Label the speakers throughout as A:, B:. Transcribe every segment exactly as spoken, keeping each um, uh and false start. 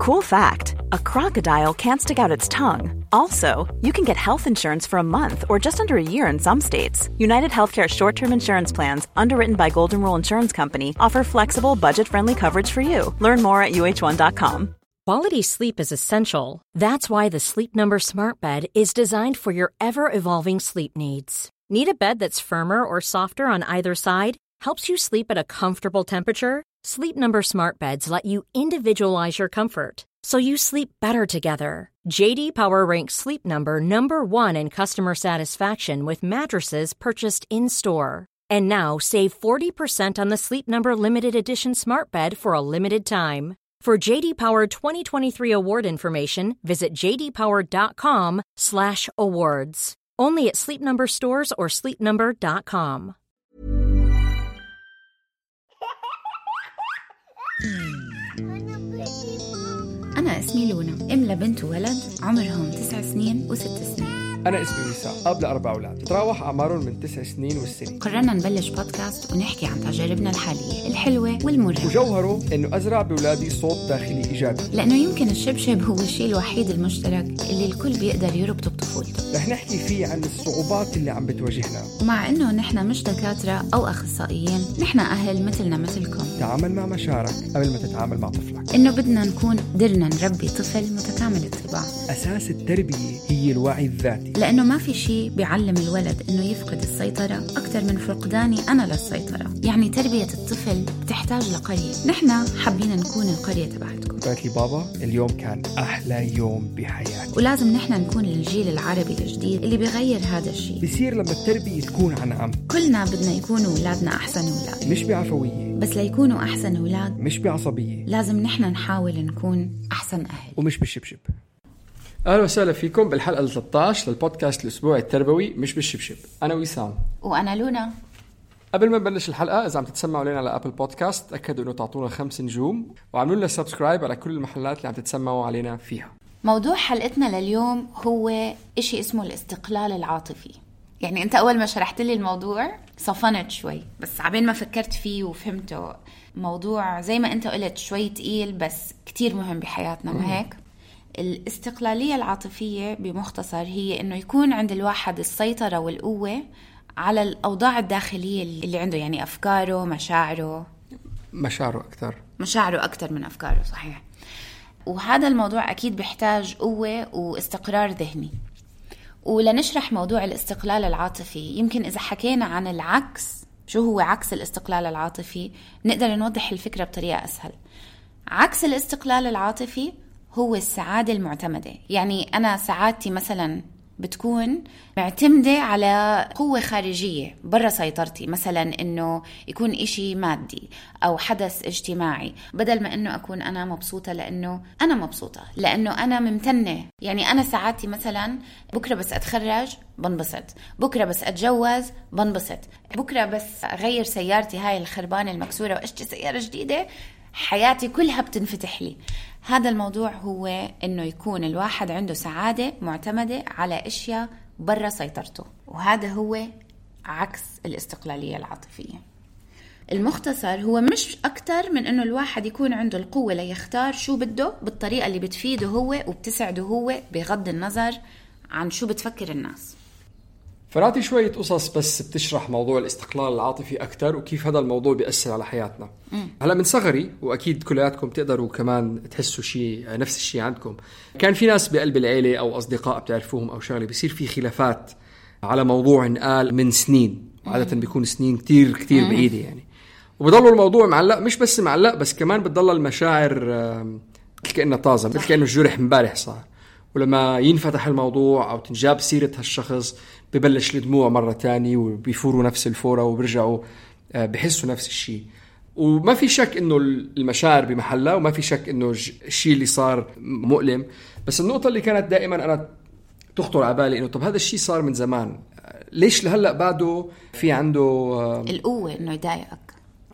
A: Cool fact, a crocodile can't stick out its tongue. Also, you can get health insurance for a month or just under a year in some states. United Healthcare short-term insurance plans, underwritten by Golden Rule Insurance Company, offer flexible, budget-friendly coverage for you. Learn more at U H one dot com.
B: Quality sleep is essential. That's why the Sleep Number Smart Bed is designed for your ever-evolving sleep needs. Need a bed that's firmer or softer on either side? Helps you sleep at a comfortable temperature? Sleep Number Smart Beds let you individualize your comfort, so you sleep better together. J D Power ranks Sleep Number number one in customer satisfaction with mattresses purchased in-store. And now, save forty percent on the Sleep Number Limited Edition Smart Bed for a limited time. For J D Power twenty twenty-three award information, visit j d power dot com slash awards. Only at Sleep Number stores or sleep number dot com.
C: أنا اسمي لونا، أم لبنت وولد عمرهم تسع سنين وست سنين.
D: أنا اسمي وسام، أب لأربع أولاد تتراوح أعمارهم من تسع سنين والسنة.
C: قررنا نبلش بودكاست ونحكي عن تجاربنا الحالية الحلوة والمرة،
D: وجوهره إنه أزرع بأولادي صوت داخلي إيجابي،
C: لأنه يمكن الشبشب هو الشيء الوحيد المشترك اللي الكل بيقدر يربطه بطفولته.
D: رح نحكي فيه عن الصعوبات اللي عم بتواجهنا،
C: ومع إنه نحن مش دكاترة أو أخصائيين، نحن أهل مثلنا مثلكم.
D: تعامل مع مشاعرك قبل ما تتعامل مع طفلك.
C: إنه بدنا نكون قدرنا نربي طفل متكامل الطباع.
D: أساس التربية هي الوعي الذاتي،
C: لأنه ما في شيء بيعلم الولد إنه يفقد السيطرة أكثر من فقداني أنا للسيطرة. يعني تربية الطفل بتحتاج لقرية، نحن حابين نكون القرية تبعتكم.
D: قالت لي بابا اليوم كان أحلى يوم بحياتي.
C: ولازم نحن نكون الجيل العربي الجديد اللي بيغير هذا الشيء.
D: بيصير لما التربية تكون عن عم.
C: كلنا بدنا يكونوا أولادنا أحسن أولاد،
D: مش بعفوية،
C: بس ليكونوا أحسن أولاد
D: مش بعصبية.
C: لازم نحن نحاول نكون أحسن أهل
D: ومش بالشبشب. أهلا وسهلا فيكم بالحلقة ثلاثة عشر للبودكاست الأسبوعي التربوي مش بالشبشب. أنا وسام
C: وأنا لونا.
D: قبل ما نبلش الحلقة، إذا عم تتسمعوا لنا على أبل بودكاست تأكدوا إنه تعطونا خمس نجوم وعملوا لنا سبسكرايب على كل المحلات اللي عم تتسمعوا علينا فيها.
C: موضوع حلقتنا لليوم هو إشي اسمه الاستقلال العاطفي. يعني أنت أول ما شرحت لي الموضوع صفنت شوي، بس عبين ما فكرت فيه وفهمته. موضوع زي ما أنت قلت شوي تقيل بس كتير مهم بحياتنا، ما هيك؟ الاستقلالية العاطفية بمختصر هي إنه يكون عند الواحد السيطرة والقوة على الأوضاع الداخلية اللي عنده، يعني أفكاره، مشاعره
D: مشاعره أكتر
C: مشاعره أكتر من أفكاره، صحيح. وهذا الموضوع أكيد بيحتاج قوة واستقرار ذهني. ولنشرح موضوع الاستقلال العاطفي، يمكن إذا حكينا عن العكس، شو هو عكس الاستقلال العاطفي، نقدر نوضح الفكرة بطريقة أسهل. عكس الاستقلال العاطفي هو السعادة المعتمدة. يعني أنا سعادتي مثلا بتكون معتمدة على قوة خارجية برا سيطرتي، مثلا إنه يكون إشي مادي أو حدث اجتماعي، بدل ما إنه أكون أنا مبسوطة لأنه أنا مبسوطة، لأنه أنا ممتنة. يعني أنا سعادتي مثلا بكرة بس أتخرج بنبسط، بكرة بس أتجوز بنبسط، بكرة بس أغير سيارتي هاي الخربانة المكسورة وأشتري سيارة جديدة، حياتي كلها بتنفتح لي. هذا الموضوع هو إنه يكون الواحد عنده سعادة معتمدة على أشياء برا سيطرته، وهذا هو عكس الاستقلالية العاطفية. المختصر هو مش أكتر من إنه الواحد يكون عنده القوة ليختار شو بده بالطريقة اللي بتفيده هو وبتسعده هو، بغض النظر عن شو بتفكر الناس.
D: فراتي شوية قصص بس بتشرح موضوع الاستقلال العاطفي أكتر وكيف هذا الموضوع بيأثر على حياتنا. م. هلأ من صغري، وأكيد كلياتكم تقدروا كمان تحسوا شيء نفس الشيء عندكم، كان في ناس بقلب العيلة أو أصدقاء بتعرفوهم أو شغلة بيصير في خلافات على موضوع انقال من سنين، عادة بيكون سنين كتير كتير بعيدة يعني، وبضلوا الموضوع معلق، مش بس معلق بس كمان بتضل المشاعر كأنها طازة، مثل كأنه الجرح مبارح صار. ولما ينفتح الموضوع أو تنجاب سيرة هالشخص ببلش الدموع مرة تاني وبيفوروا نفس الفورة وبرجعوا بحسوا نفس الشيء. وما في شك إنه المشاعر بمحلها، وما في شك إنه الشيء اللي صار مؤلم، بس النقطة اللي كانت دائما أنا تخطر على بالي إنه طب هذا الشيء صار من زمان، ليش لهلأ بعده في عنده
C: القوة إنه يضايقك؟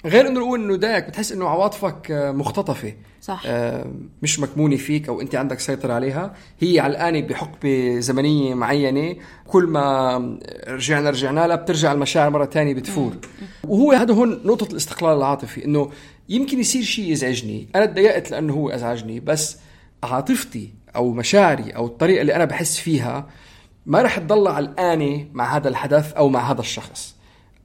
C: غير
D: إنه القوة إنه يضايقك، بتحس إنه عواطفك مختطفة،
C: صح.
D: مش مكمونة فيك أو أنت عندك سيطرة عليها، هي علقانة بحقبة زمنية معينة، كل ما رجعنا رجعنا لها بترجع المشاعر مرة تانية بتفور. وهو هذا هون نقطة الاستقلال العاطفي، إنه يمكن يصير شيء يزعجني، أنا اتضايقت لأنه هو أزعجني، بس عاطفتي أو مشاعري أو الطريقة اللي أنا بحس فيها ما رح تضل علقانة مع هذا الحدث أو مع هذا الشخص.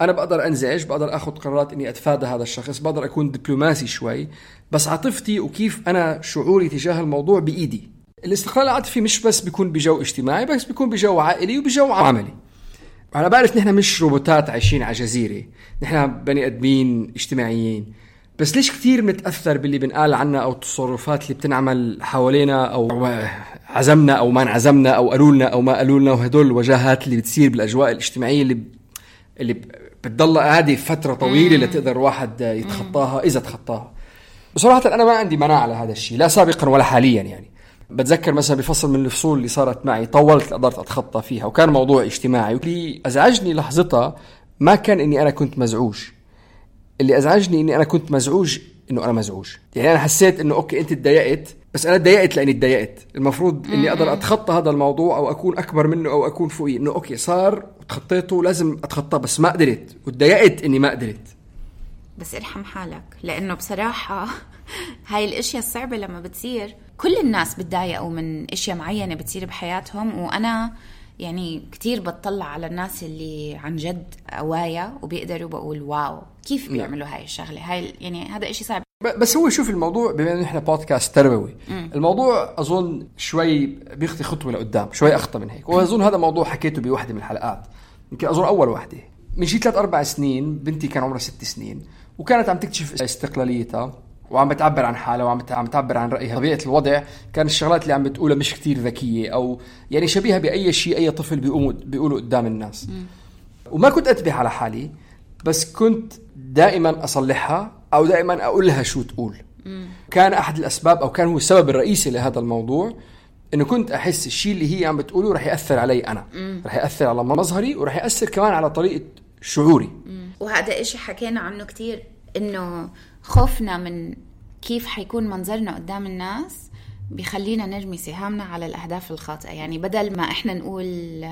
D: أنا بقدر أنزعج، بقدر أخذ قرارات إني أتفادى هذا الشخص، بقدر أكون دبلوماسي شوي، بس عاطفتي وكيف أنا شعوري تجاه الموضوع بإيدي. الاستقلال العاطفي مش بس بيكون بجو اجتماعي، بس بيكون بجو عائلي وبجو عملي. أنا بعرف نحن مش روبوتات عايشين على جزيرة، نحن بني أدمين اجتماعيين، بس ليش كتير متأثر باللي بنقال عنا أو التصرفات اللي بتنعمل حوالينا أو عزمنا أو ما انعزمنا أو قالولنا أو ما قالولنا، وهدول الوجاهات اللي بتصير بالأجواء الاجتماعية اللي اللي بتضل عادي فترة طويلة لتقدر واحد يتخطاها إذا تخطاها. بصراحة أنا ما عندي مناعة على هذا الشيء، لا سابقا ولا حاليا. يعني بتذكر مثلا بفصل من الفصول اللي صارت معي طولت قدرت أتخطى فيها، وكان موضوع اجتماعي، واللي أزعجني لحظتها ما كان إني أنا كنت مزعوج، اللي أزعجني إني أنا كنت مزعوج إنه أنا مزعوج. يعني أنا حسيت إنه أوكي أنت اتضايقت، بس أنا اتضايقت لأني اتضايقت. المفروض إني أقدر أتخطى هذا الموضوع أو أكون أكبر منه أو أكون فوقيه، إنه أوكي صار وتخطيته لازم أتخطى، بس ما قدرت واتضايقت إني ما قدرت.
C: بس ارحم حالك، لأنه بصراحة هاي الاشياء الصعبة لما بتصير كل الناس بتضايقوا من اشياء معينة بتصير بحياتهم. وأنا يعني كتير بتطلع على الناس اللي عن جد قوايا وبيقدروا، بقول واو كيف بيعملوا هاي الشغلة. هاي يعني هذا اشي صعب.
D: بس هو شوف الموضوع، بما انه احنا بودكاست تربوي، الموضوع اظن شوي بيخطي خطوه لقدام، شوي اخطى من هيك. واظن هذا موضوع حكيته بواحده من الحلقات، يمكن اظن اول واحده. من شي ثلاث اربع سنين بنتي كان عمرها ست سنين، وكانت عم تكتشف استقلاليتها وعم بتعبر عن حالها وعم عم تعبر عن رايها. طبيعه الوضع كان الشغلات اللي عم بتقولها مش كتير ذكيه، او يعني شبيهه باي شيء اي طفل بيقوم بيقولوا قدام الناس. م. وما كنت انتبه على حالي، بس كنت دائما اصلحها او دائما اقول لها شو تقول. م. كان احد الاسباب او كان هو السبب الرئيسي لهذا الموضوع، انه كنت احس الشيء اللي هي عم بتقوله رح ياثر علي انا، م. رح ياثر على مظهري ورح ياثر كمان على طريقه شعوري. م.
C: وهذا إشي حكينا عنه كتير، إنه خوفنا من كيف حيكون منظرنا قدام الناس بيخلينا نرمي سهامنا على الأهداف الخاطئة. يعني بدل ما إحنا نقول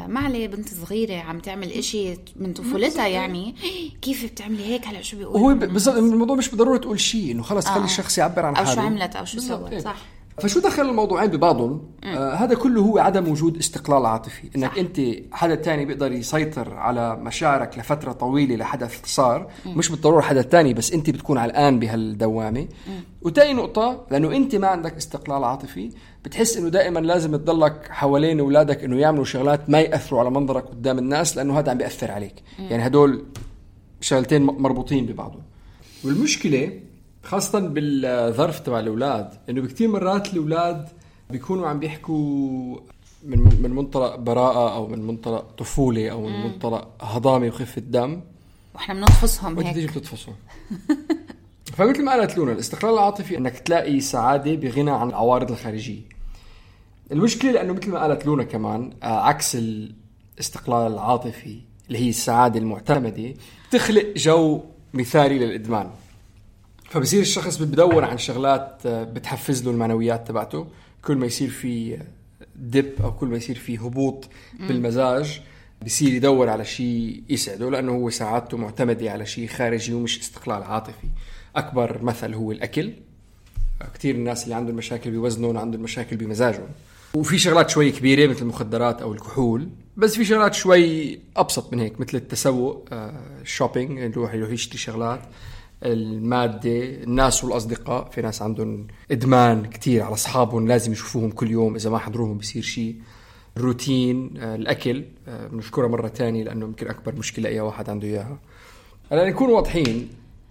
C: ما عليه بنت صغيرة عم تعمل إشي من طفولتها، يعني كيف بتعملي هيك هلا شو بيقول.
D: هو بالضبط الموضوع مش بالضرورة تقول شيء، إنه خلص خلي آه. الشخص يعبر عن حاله
C: أو شو عملت أو شو سوت. صح.
D: فشو دخل الموضوعين ببعضهم؟ آه هذا كله هو عدم وجود استقلال عاطفي، انك صح. انت حدا تاني بيقدر يسيطر على مشاعرك لفترة طويلة لحدث صار، م. مش بالضرورة حدا تاني، بس انت بتكون علقان بهالدوامة. وتاني نقطة، لانه انت ما عندك استقلال عاطفي، بتحس انه دائما لازم تضلك حوالين اولادك انه يعملوا شغلات ما يأثروا على منظرك قدام الناس، لانه هذا عم بيأثر عليك. م. يعني هدول شغلتين مربوطين ببعضهم. والمشكلة خاصة بالظرف تبع الأولاد، إنه بكتير مرات الأولاد بيكونوا عم بيحكوا من من منطلق براءة أو من منطلق طفولة أو من مم. منطلق هضامة وخفة دم،
C: وإحنا بنطفصهم هيك.
D: وتيجي بتطفصهم. فمثل ما قالت لونا، الاستقلال العاطفي إنك تلاقي سعادة بغنى عن العوارض الخارجية. المشكلة لأنه مثل ما قالت لونا كمان، عكس الاستقلال العاطفي اللي هي السعادة المعتمدة، تخلق جو مثالي للإدمان. فبصير الشخص بدور عن شغلات بتحفز له المعنويات تبعته. كل ما يصير في ديب أو كل ما يصير في هبوط بالمزاج، بصير يدور على شيء يسعده، لأنه هو سعادته معتمدة على شيء خارجي ومش استقلال عاطفي. أكبر مثل هو الأكل. كتير الناس اللي عندهم مشاكل بوزنهم عندهم مشاكل بمزاجهم. وفي شغلات شوي كبيرة مثل المخدرات أو الكحول، بس في شغلات شوي أبسط من هيك مثل التسوق، الشوبينج، يروح يروح يشتري شغلات، المادة، الناس والأصدقاء. في ناس عندهم إدمان كتير على أصحابهم، لازم يشوفوهم كل يوم، إذا ما حضروهم بيصير شيء. الروتين، الأكل بنذكرها مرة تانية لأنه يمكن أكبر مشكلة أي واحد عنده إياها. هلا نكون واضحين،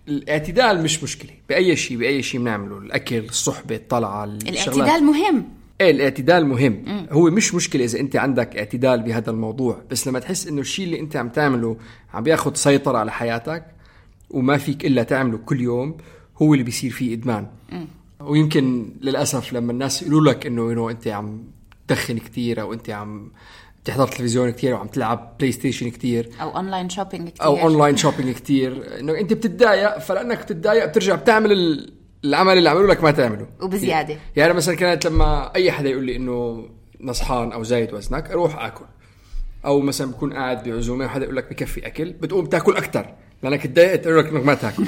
D: الاعتدال مش مشكلة بأي شيء بأي شيء بنعمله، الأكل، الصحبة، الطلعة،
C: الاعتدال مهم.
D: ايه الاعتدال مهم. م. هو مش مشكلة إذا أنت عندك اعتدال بهذا الموضوع، بس لما تحس إنه الشيء اللي أنت عم تعمله عم بياخد سيطرة على حياتك وما فيك إلا تعمله كل يوم، هو اللي بيصير فيه إدمان. م. ويمكن للأسف لما الناس يقولوا لك إنه إنه أنت عم تدخن كتير، أو أنت عم تحضر تلفزيون كتير، وعم تلعب بلاي ستيشن كتير،
C: أو أونلاين شوبينج كتير،
D: أو أونلاين شوبينج كتير، إنه أنت بتتضايق، فلأنك بتتضايق بترجع بتعمل العمل اللي عملوا لك ما تعمله
C: وبزيادة.
D: يعني مثلا كانت لما أي حدا يقول لي إنه نصحان أو زايد وزنك، أروح أكل. أو مثلا بكون قاعد بعزومة وحدا يقول لك بكفي أكل، بتقوم تاكل أكتر لأنك تضايقت، يقول لك إنك ما تاكل.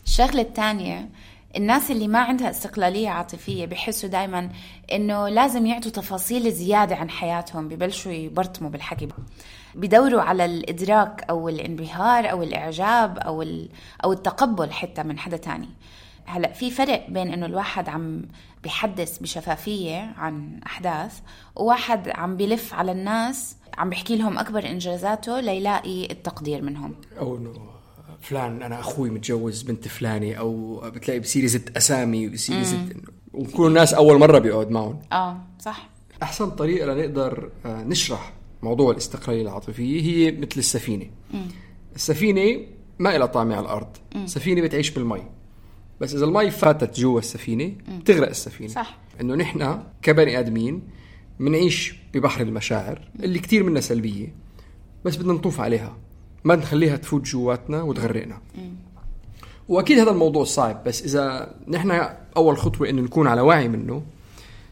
C: الشغلة الثانية الناس اللي ما عندها استقلالية عاطفية بيحسوا دايما إنه لازم يعطوا تفاصيل زيادة عن حياتهم، ببلشوا يبرطموا بالحكي، بيدوروا على الإدراك أو الانبهار أو الإعجاب أو أو التقبل حتى من حدا تاني. هلأ في فرق بين إنه الواحد عم بيحدث بشفافية عن أحداث، وواحد عم بيلف على الناس عم بيحكي لهم أكبر إنجازاته ليلاقي التقدير منهم.
D: أو إنه فلان أنا أخوي متجوز بنت فلاني، أو بتلاقي بصير يزت أسامي وبصير يزت، وكل الناس أول مرة بيقعد معهم.
C: آه صح.
D: أحسن طريقة لنقدر نشرح موضوع الاستقلالية العاطفية هي مثل السفينة. م. السفينة ما إلها طعمة على الأرض، م. السفينة بتعيش بالمي، بس إذا المي فاتت جوا السفينة م. تغرق السفينة.
C: صح. إنه
D: نحن كبني آدمين منعيش ببحر المشاعر اللي كتير منها سلبية، بس بدنا نطوف عليها، ما نخليها تفوت جواتنا وتغرقنا. م. وأكيد هذا الموضوع صعب، بس إذا نحن أول خطوة إنه نكون على وعي منه،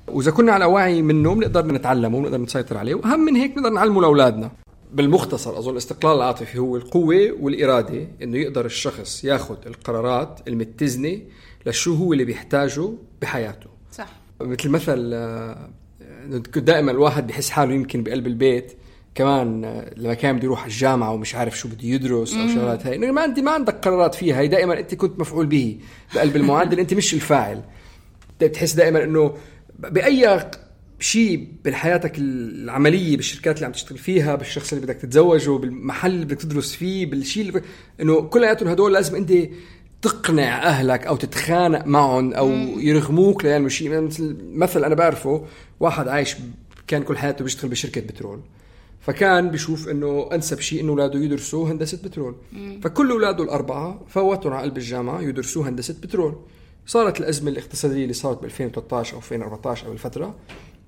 D: وإذا كنا على وعي منه بنقدر نتعلمه ونقدر نسيطر عليه، وأهم من هيك نقدر نعلمه لأولادنا. بالمختصر أظن الاستقلال العاطفي هو القوة والإرادة، إنه يقدر الشخص ياخد القرارات المتزنة لشو هو اللي بيحتاجه بحياته.
C: صح.
D: مثل مثل دائما الواحد بيحس حاله يمكن بقلب البيت كمان لما كان بده يروح الجامعة ومش عارف شو بده يدرس أو شغلات هاي، إنه ما أنت ما عندك قرارات فيها، هي دائما أنت كنت مفعول به بقلب المعدل، أنت مش الفاعل. بتحس دائما إنه بأي شيء بحياتك العملية، بالشركات اللي عم تشتغل فيها، بالشخص اللي بدك تتزوجه، بالمحل اللي بدك تدرس فيه، بالشيء اللي ب... إنه كلياتهم هدول لازم أنت تقنع أهلك أو تتخانق معهم أو يرغموك لأنه شيء. مثل مثل أنا بعرفه واحد عايش كان كل حياته بيشتغل بشركة بترول، فكان بيشوف إنه أنسب شيء إنه أولاده يدرسوا هندسة بترول، فكل أولاده الأربعة فوتوا على قلب الجامعة يدرسوا هندسة بترول. صارت الأزمة الاقتصادية اللي صارت بألفين وثلاثة عشر أو ألفين وأربعة عشر أو الفترة،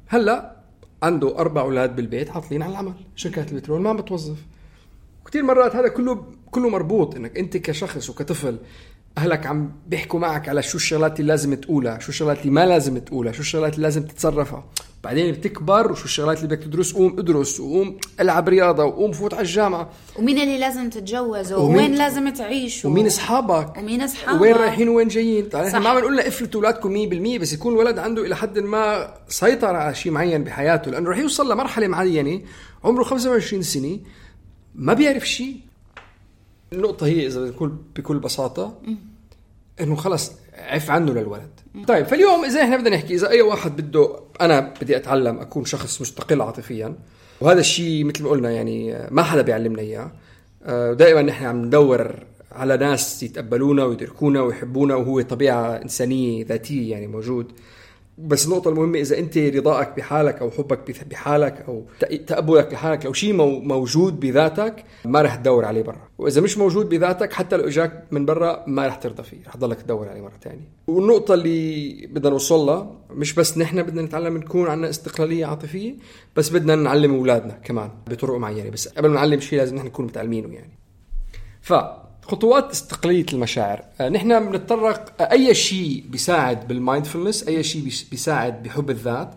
D: هلأ عنده أربع أولاد بالبيت عاطلين على العمل، شركات البترول ما بتوظف. كتير مرات هذا كله كله مربوط إنك أنت كشخص وكطفل أهلك عم بيحكوا معك على شو الشغلات اللي لازم تقولها، شو الشغلات اللي ما لازم تقولها، شو الشغلات اللي لازم تتصرفها. بعدين بتكبر وشو الشغلات اللي بدك تدرس، قوم ادرس وقوم العب رياضة وقوم فوت على الجامعة،
C: ومين اللي لازم تتجوز وين لازم تعيش
D: ومين أصحابك
C: ومين أصحابك
D: وين رايحين وين جايين. طبعا احنا ما بنقول لنا افلتوا أولادكم مية بالمية، بس يكون الولد عنده إلى حد ما سيطر على شيء معين بحياته، لأنه رح يوصل لمرحلة معينة عمره خمسة وعشرين سنة ما بيعرف شيء. النقطة هي إذا بنقول بكل بساطة إنه خلص عف عنه للولد. طيب فاليوم إذا إحنا بدنا نحكي، إذا أي واحد بده أنا بدي أتعلم أكون شخص مستقل عاطفيا، وهذا الشيء مثل ما قلنا يعني ما حدا بيعلمنا إياه، دائما نحن عم ندور على ناس يتقبلونا ويدركونا ويحبونا، وهو طبيعة إنسانية ذاتية يعني موجود. بس النقطة المهمة إذا أنت رضاك بحالك أو حبك بحالك أو تقبلك بحالك، لو شيء موجود بذاتك ما رح تدور عليه برا، وإذا مش موجود بذاتك حتى لو إجاك من برا ما رح ترضى فيه، رح تضلك تدور عليه مرة تانية. والنقطة اللي بدنا نوصلها مش بس نحن بدنا نتعلم نكون عنا استقلالية عاطفية، بس بدنا نعلم أولادنا كمان بطرق معينة. بس قبل ما نعلم شيء لازم نحن نكون متعلمينه يعني. ف خطوات استقلالية المشاعر، نحن بنتطرق أي شيء بيساعد بالمايندفولنس، أي شيء بيساعد بحب الذات،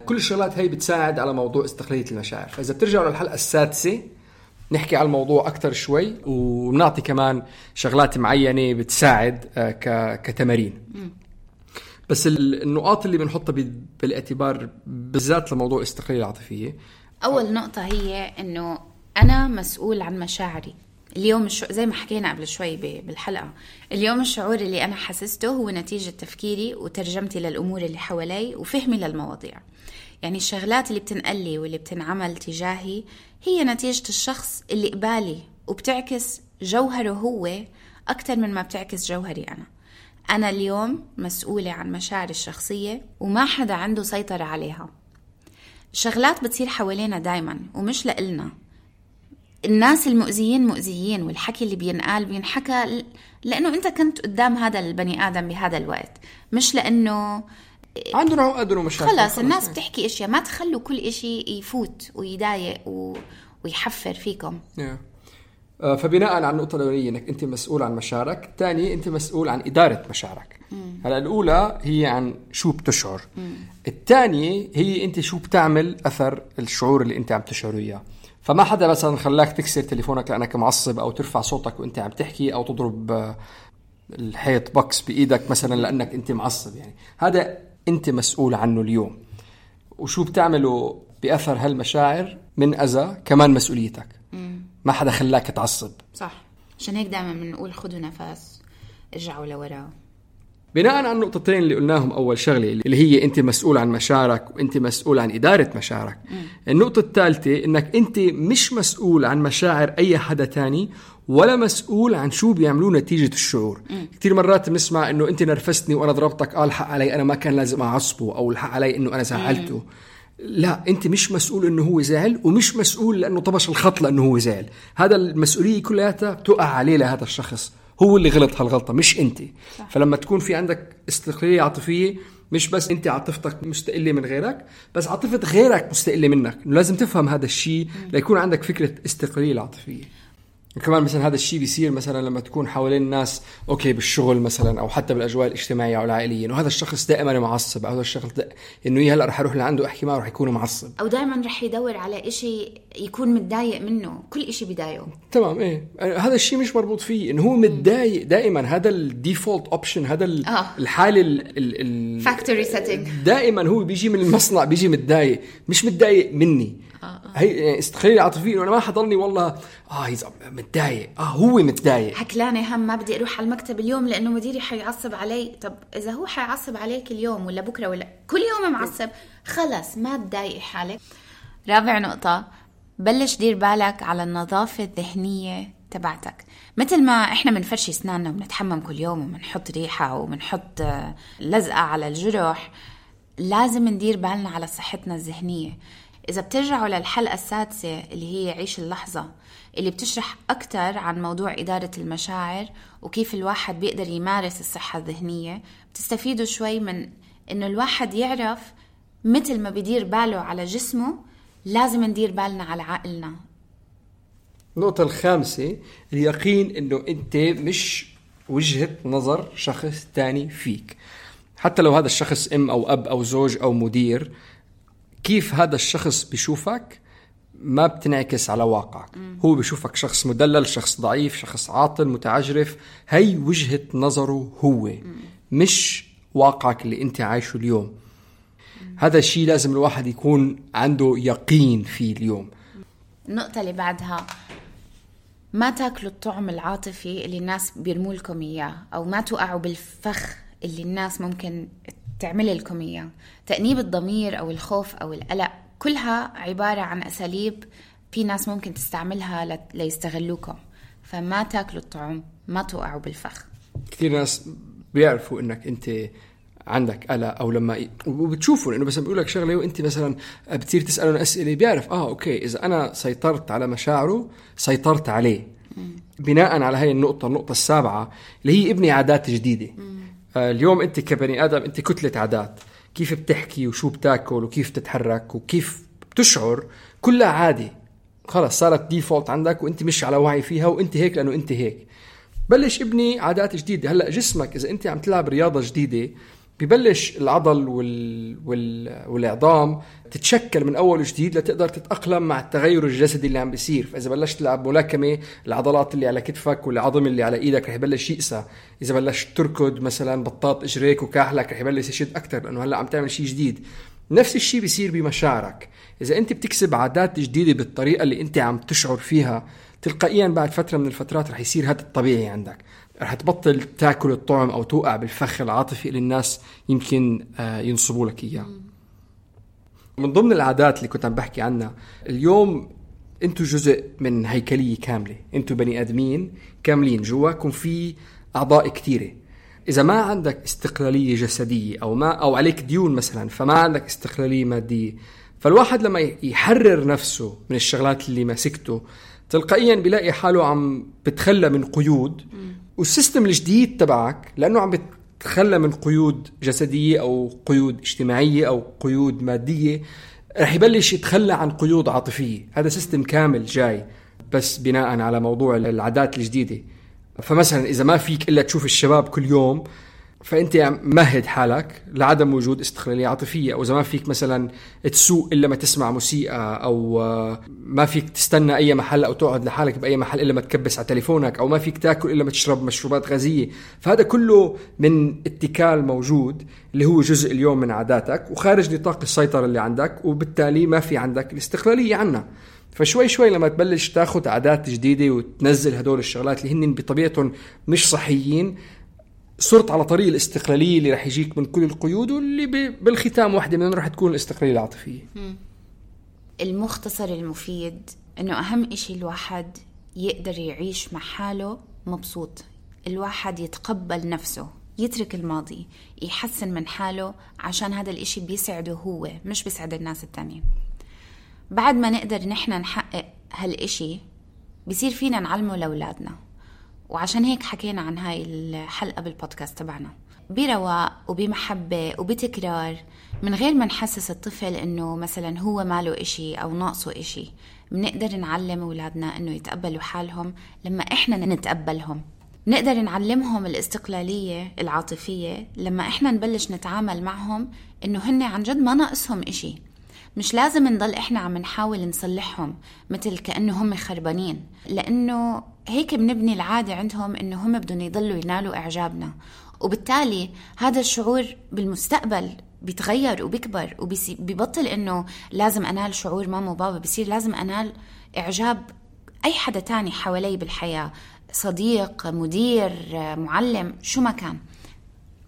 D: كل الشغلات هاي بتساعد على موضوع استقلالية المشاعر. فإذا بترجعوا للحلقة السادسة نحكي على الموضوع أكتر شوي، ونعطي كمان شغلات معينة بتساعد كتمارين. بس النقاط اللي بنحطها بالاعتبار بالذات لموضوع الاستقلالية العاطفية،
C: أول نقطة هي إنه أنا مسؤول عن مشاعري. اليوم الشعور زي ما حكينا قبل شوي بالحلقة، اليوم الشعور اللي أنا حسسته هو نتيجة تفكيري وترجمتي للأمور اللي حوالي وفهمي للمواضيع. يعني الشغلات اللي بتنقلي واللي بتنعمل تجاهي هي نتيجة الشخص اللي قبالي، وبتعكس جوهره هو أكتر من ما بتعكس جوهري أنا. أنا اليوم مسؤولة عن مشاعري الشخصية وما حدا عنده سيطرة عليها. الشغلات بتصير حوالينا دايما ومش لإلنا. الناس المؤذيين مؤذيين، والحكي اللي بينقال بينحكى لأنه أنت كنت قدام هذا البني آدم بهذا الوقت، مش لأنه
D: عنده عقد ومشاكل.
C: خلاص الناس بتحكي إشياء، ما تخلوا كل إشي يفوت ويضايق و... ويحفر فيكم.
D: yeah. فبناء على النقطة الأولية أنك أنت مسؤول عن مشاعرك، الثاني أنت مسؤول عن إدارة مشاعرك. هلا الأولى هي عن شو بتشعر، الثانية هي أنت شو بتعمل أثر الشعور اللي أنت عم تشعره إياه. فما حدا مثلا خلاك تكسر تليفونك لأنك معصب أو ترفع صوتك وأنت عم تحكي أو تضرب الحيط بوكس بإيدك مثلا لأنك أنت معصب، يعني هذا أنت مسؤول عنه اليوم. وشو بتعمله بأثر هالمشاعر من أذى كمان مسؤوليتك. مم. ما حدا خلاك تعصب.
C: صح. عشان هيك دائما بنقول خدوا نفس، ارجعوا لورا.
D: بناء على النقطتين اللي قلناهم أول شغلة اللي هي أنت مسؤول عن مشاعرك وأنت مسؤول عن إدارة مشاعرك. مم. النقطة الثالثة إنك أنت مش مسؤول عن مشاعر أي حدا تاني ولا مسؤول عن شو بيعملوه نتيجة الشعور. مم. كتير مرات بنسمع إنه أنت نرفزتني وأنا ضربتك، قال الحق علي أنا ما كان لازم أعصبه، أو الحق علي إنه أنا زعلته. مم. لا، أنت مش مسؤول إنه هو زعل، ومش مسؤول لأنه طبش الخط لأنه هو زعل. هذا المسؤولية كلها بتقع عليه لهذا الشخص، هو اللي غلط هالغلطة مش أنت. صح. فلما تكون في عندك استقلالية عاطفية، مش بس أنت عاطفتك مستقلة من غيرك، بس عاطفة غيرك مستقلة منك. لازم تفهم هذا الشيء ليكون عندك فكرة استقلالية عاطفية. وكمان مثلا هذا الشيء بيصير مثلا لما تكون حوالين الناس اوكي بالشغل مثلا، او حتى بالاجواء الاجتماعيه او العائليه، انه هذا الشخص دائما معصب، او هذا الشخص انه هي هلا رح اروح لعنده احكي معه رح يكون معصب،
C: او دائما رح يدور على إشي يكون متضايق منه، كل إشي بيضايقه.
D: تمام. ايه هذا الشيء مش مربوط فيه انه هو متضايق دائما. هذا الديفولت اوبشن، هذا آه. الحاله
C: الفاكتوري سيتنج،
D: دائما هو بيجي من المصنع بيجي متضايق، مش متضايق مني. آه آه. هي استقلالية عاطفية انه انا ما حضرني والله اه هيز متضايق، اه هو متضايق،
C: هكلانه هم ما بدي اروح على المكتب اليوم لانه مديري حيعصب علي. طب اذا هو حيعصب عليك اليوم ولا بكره ولا كل يوم معصب، خلص ما تضايقي حالك. رابع نقطة، بلش دير بالك على النظافة الذهنية تبعتك. مثل ما احنا منفرشي اسناننا وبنتحمم كل يوم وبنحط ريحة وبنحط لزقة على الجرح، لازم ندير بالنا على صحتنا الذهنية. إذا بترجعوا للحلقة السادسة اللي هي عيش اللحظة، اللي بتشرح أكتر عن موضوع إدارة المشاعر وكيف الواحد بيقدر يمارس الصحة الذهنية، بتستفيدوا شوي من إنه الواحد يعرف مثل ما بيدير باله على جسمه لازم ندير بالنا على عقلنا.
D: النقطة الخامسة، اليقين إنه أنت مش وجهة نظر شخص تاني فيك. حتى لو هذا الشخص أم أو أب أو زوج أو مدير، كيف هذا الشخص بيشوفك ما بتنعكس على واقعك. م. هو بيشوفك شخص مدلل، شخص ضعيف، شخص عاطل متعجرف. هي وجهة نظره هو، م. مش واقعك اللي انت عايشه اليوم. م. هذا الشيء لازم الواحد يكون عنده يقين فيه اليوم.
C: النقطة اللي بعدها، ما تاكلوا الطعم العاطفي اللي الناس بيرموا لكم إياه، أو ما توقعوا بالفخ اللي الناس ممكن تعمل لكم إياه. تأنيب الضمير أو الخوف أو القلق كلها عبارة عن أساليب في ناس ممكن تستعملها ليستغلوكم. فما تاكلوا الطعم، ما توقعوا بالفخ.
D: كثير ناس بيعرفوا إنك أنت عندك قلق، أو لما وبتشوفوا إنه بس بيقولك شغلة وأنت مثلا بتصير تسألون أسئلة، بيعرف آه أوكي إذا أنا سيطرت على مشاعره سيطرت عليه. م. بناء على هاي النقطة، النقطة السابعة اللي هي ابني عادات جديدة. م. اليوم أنت كبني آدم أنت كتلة عادات، كيف بتحكي وشو بتاكل وكيف تتحرك وكيف بتشعر، كلها عادي خلاص صارت ديفولت عندك وأنت مش على وعي فيها، وأنت هيك لأنه أنت هيك. بلش ابني عادات جديدة. هلأ جسمك إذا أنت عم تلعب رياضة جديدة ببلش العضل وال... وال... والعظام تتشكل من أول جديد لتقدر تتأقلم مع التغير الجسدي اللي عم بيصير. فإذا بلشت تلعب ملاكمة، العضلات اللي على كتفك والعظم اللي على إيدك رح يبلش يقسى. إذا بلشت تركض مثلا بطاط إجريك وكاحلك رح يبلش يشد أكتر، لأنه هلأ عم تعمل شيء جديد. نفس الشيء بيصير بمشاعرك. إذا أنت بتكسب عادات جديدة بالطريقة اللي أنت عم تشعر فيها، تلقائيا بعد فترة من الفترات رح يصير هذا الطبيعي عندك. رح تبطل تاكل الطعم أو توقع بالفخ العاطفي اللي الناس يمكن ينصبوا لك إياه. من ضمن العادات اللي كنت عم بحكي عنها اليوم، أنتوا جزء من هيكلية كاملة، أنتوا بني آدمين كاملين، جواكم في أعضاء كتيرة. إذا ما عندك استقلالية جسدية أو ما أو عليك ديون مثلا، فما عندك استقلالية مادية، فالواحد لما يحرر نفسه من الشغلات اللي ماسكته تلقائيا بيلاقي حاله عم بتخلى من قيود. والسيستم الجديد تبعك لأنه عم بتخلى من قيود جسدية أو قيود اجتماعية أو قيود مادية، رح يبلش يتخلى عن قيود عاطفية. هذا سيستم كامل جاي بس بناء على موضوع العادات الجديدة. فمثلا إذا ما فيك إلا تشوف الشباب كل يوم، فأنت مهد حالك لعدم وجود استقلالية عاطفية، أو إذا ما فيك مثلا تسوق إلا ما تسمع موسيقى، أو ما فيك تستنى أي محل أو تقعد لحالك بأي محل إلا ما تكبس على تليفونك، أو ما فيك تاكل إلا ما تشرب مشروبات غازية. فهذا كله من اتكال موجود اللي هو جزء اليوم من عاداتك وخارج نطاق السيطرة اللي عندك، وبالتالي ما في عندك الاستقلالية عنها. فشوي شوي لما تبلش تاخد عادات جديدة وتنزل هدول الشغلات اللي هن بطبيعتهم مش صحيين، صرت على طريق الاستقلالية اللي رح يجيك من كل القيود، واللي بالختام واحدة منهم رح تكون الاستقلالية العاطفية.
C: المختصر المفيد إنه أهم إشي الواحد يقدر يعيش مع حاله مبسوط، الواحد يتقبل نفسه، يترك الماضي، يحسن من حاله، عشان هذا الإشي بيسعده هو مش بيسعد الناس التانيين. بعد ما نقدر نحن نحقق هالإشي بيصير فينا نعلمه لأولادنا. وعشان هيك حكينا عن هاي الحلقة بالبودكاست تبعنا برواق وبمحبة وبتكرار، من غير ما نحسس الطفل إنه مثلا هو ماله إشي أو ناقصه إشي. بنقدر نعلم أولادنا إنه يتقبلوا حالهم لما إحنا نتقبلهم. نقدر نعلمهم الاستقلالية العاطفية لما إحنا نبلش نتعامل معهم إنه هن عن جد ما ناقصهم إشي. مش لازم نضل إحنا عم نحاول نصلحهم مثل كأنه هم خربانين، لأنه هيك بنبني العادة عندهم إنه هم بدهم يضلوا ينالوا إعجابنا، وبالتالي هذا الشعور بالمستقبل بيتغير وبيكبر وبيبطل إنه لازم أنال شعور ماما وبابا، بيصير لازم أنال إعجاب أي حدا تاني حوالي بالحياة، صديق، مدير، معلم، شو ما كان،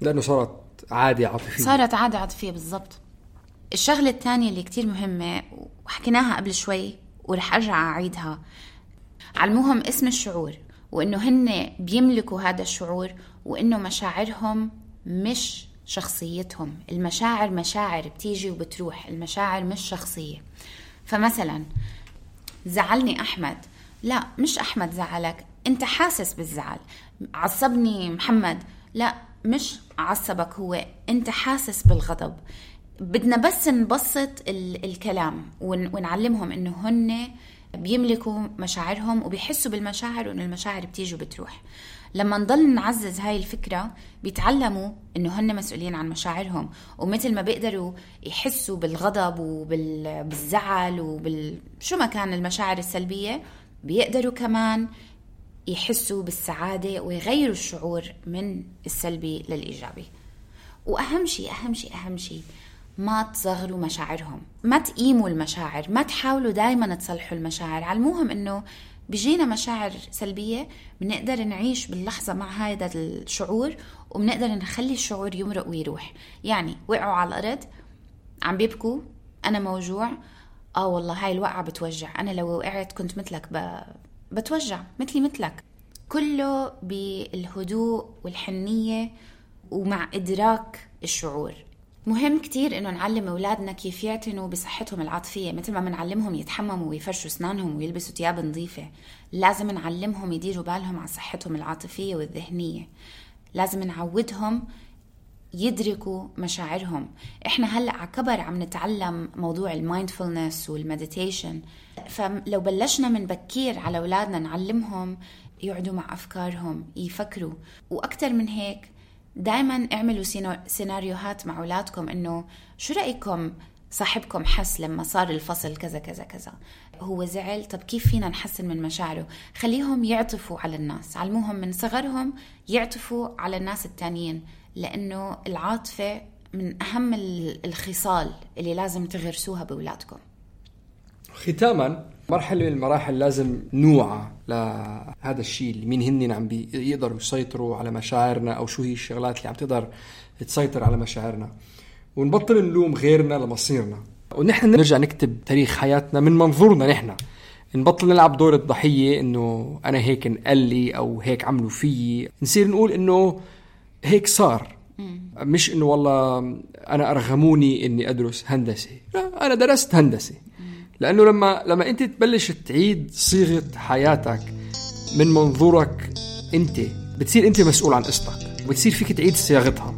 D: لأنه صارت عادة عاطفية.
C: صارت عادة عاطفية بالضبط. الشغلة الثانية اللي كتير مهمة وحكيناها قبل شوي ورح أرجع أعيدها، علموهم اسم الشعور، وإنه هن بيملكوا هذا الشعور، وإنه مشاعرهم مش شخصيتهم. المشاعر مشاعر بتيجي وبتروح، المشاعر مش شخصية. فمثلا زعلني أحمد، لا مش أحمد زعلك، أنت حاسس بالزعل. عصبني محمد، لا مش عصبك هو، أنت حاسس بالغضب. بدنا بس نبسط الكلام ونعلمهم إنه هن بيملكوا مشاعرهم وبيحسوا بالمشاعر، وإن المشاعر بتيجي وبتروح. لما نضل نعزز هاي الفكرة بيتعلموا إنه هن مسؤولين عن مشاعرهم، ومثل ما بيقدروا يحسوا بالغضب وبالزعل وبالشو ما كان المشاعر السلبية، بيقدروا كمان يحسوا بالسعادة ويغيروا الشعور من السلبي للإيجابي. وأهم شيء أهم شيء أهم شيء ما تصغروا مشاعرهم، ما تقيموا المشاعر، ما تحاولوا دايما تصلحوا المشاعر. علموهم إنه بيجينا مشاعر سلبية، بنقدر نعيش باللحظة مع هذا الشعور، وبنقدر نخلي الشعور يمرق ويروح. يعني وقعوا على الأرض عم بيبكوا، أنا موجوع، آه والله هاي الوقعة بتوجع، أنا لو وقعت كنت مثلك ب... بتوجع مثلي مثلك. كله بالهدوء والحنية ومع إدراك الشعور. مهم كتير إنه نعلم أولادنا كيف يعتنوا بصحتهم العاطفية، مثل ما بنعلمهم يتحمموا ويفرشوا أسنانهم ويلبسوا ثياب نظيفة. لازم نعلمهم يديروا بالهم على صحتهم العاطفية والذهنية. لازم نعودهم يدركوا مشاعرهم. إحنا هلأ عكبر عم نتعلم موضوع المايندفولنس والمديتيشن، فلو بلشنا من بكير على أولادنا نعلمهم يقعدوا مع أفكارهم، يفكروا. وأكتر من هيك دايما اعملوا سيناريوهات مع أولادكم، إنه شو رأيكم صاحبكم حس لما صار الفصل كذا كذا كذا، هو زعل، طب كيف فينا نحسن من مشاعره؟ خليهم يعطفوا على الناس، علموهم من صغرهم يعطفوا على الناس التانيين، لأنه العاطفة من أهم الخصال اللي لازم تغرسوها بأولادكم.
D: ختاما، مرحلة من المراحل لازم نوعى لهذا الشيء اللي مين هنن عم بيقدروا يسيطروا على مشاعرنا، أو شو هي الشغلات اللي عم تقدر تسيطر على مشاعرنا، ونبطل نلوم غيرنا لمصيرنا، ونحن نرجع نكتب تاريخ حياتنا من منظورنا نحن. نبطل نلعب دور الضحية، إنه أنا هيك انقال لي أو هيك عملوا فيي. نصير نقول إنه هيك صار، مش إنه والله أنا أرغموني إني أدرس هندسة، لا أنا درست هندسة. لأنه لما لما أنت تبلش تعيد صيغة حياتك من منظورك أنت، بتصير أنت مسؤول عن قصتك، وبتصير فيك تعيد صياغتها.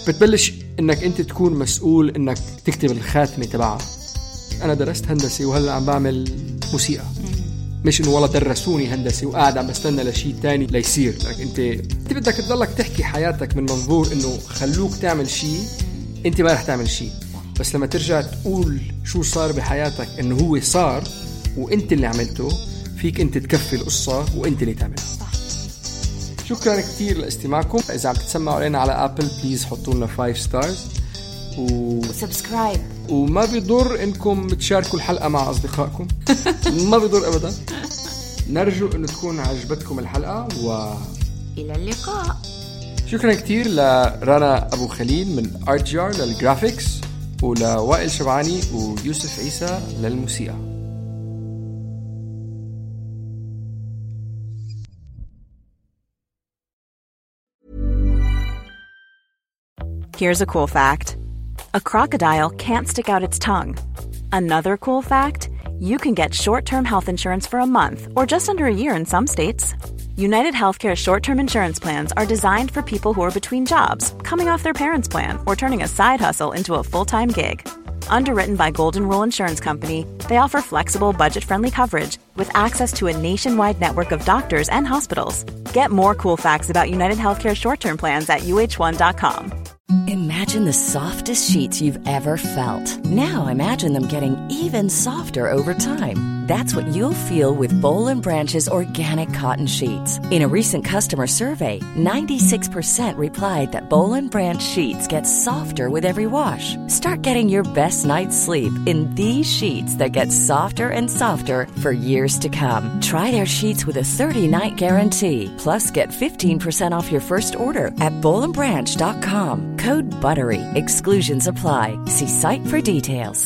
D: بتبلش إنك أنت تكون مسؤول إنك تكتب الخاتمة تبعها، أنا درست هندسة وهلأ عم بعمل موسيقى. مش إنه والله درسوني هندسة وقاعد عم بستنى لشيء تاني ليصير. لك أنت أنت بدك تضلك تحكي حياتك من منظور إنه خلوك تعمل شيء أنت ما رح تعمل شيء، بس لما ترجع تقول شو صار بحياتك إنه هو صار وأنت اللي عملته، فيك أنت تكفي القصة وأنت اللي تعملها. شكرا كتير لاستماعكم. إذا عم تتسمعوا علينا على أبل بليز حطوا لنا فايف ستارز و...
C: وسبسكرايب،
D: وما بيضر إنكم تشاركوا الحلقة مع أصدقائكم. ما بيضر أبدا. نرجو إنه تكون عجبتكم الحلقة و
C: إلى اللقاء.
D: شكرا كتير لرنا أبو خليل من أرتجار للجرافيكس، ولوائل شبعاني ويوسف عيسى للموسيقى.
A: Here's a cool fact. A crocodile can't stick out its tongue. Another cool fact, you can get short-term health insurance for a month or just under a year in some states. United Healthcare short-term insurance plans are designed for people who are between jobs, coming off their parents' plan, or turning a side hustle into a full-time gig. Underwritten by Golden Rule Insurance Company, they offer flexible, budget-friendly coverage with access to a nationwide network of doctors and hospitals. Get more cool facts about United Healthcare short-term plans at U H one dot com.
E: Imagine the softest sheets you've ever felt. Now imagine them getting even softer over time. That's what you'll feel with Boll and Branch's organic cotton sheets. In a recent customer survey, ninety-six percent replied that Boll and Branch sheets get softer with every wash. Start getting your best night's sleep in these sheets that get softer and softer for years to come. Try their sheets with a thirty-night guarantee. Plus, get fifteen percent off your first order at boll and branch dot com. Code BUTTERY. Exclusions apply. See site for details.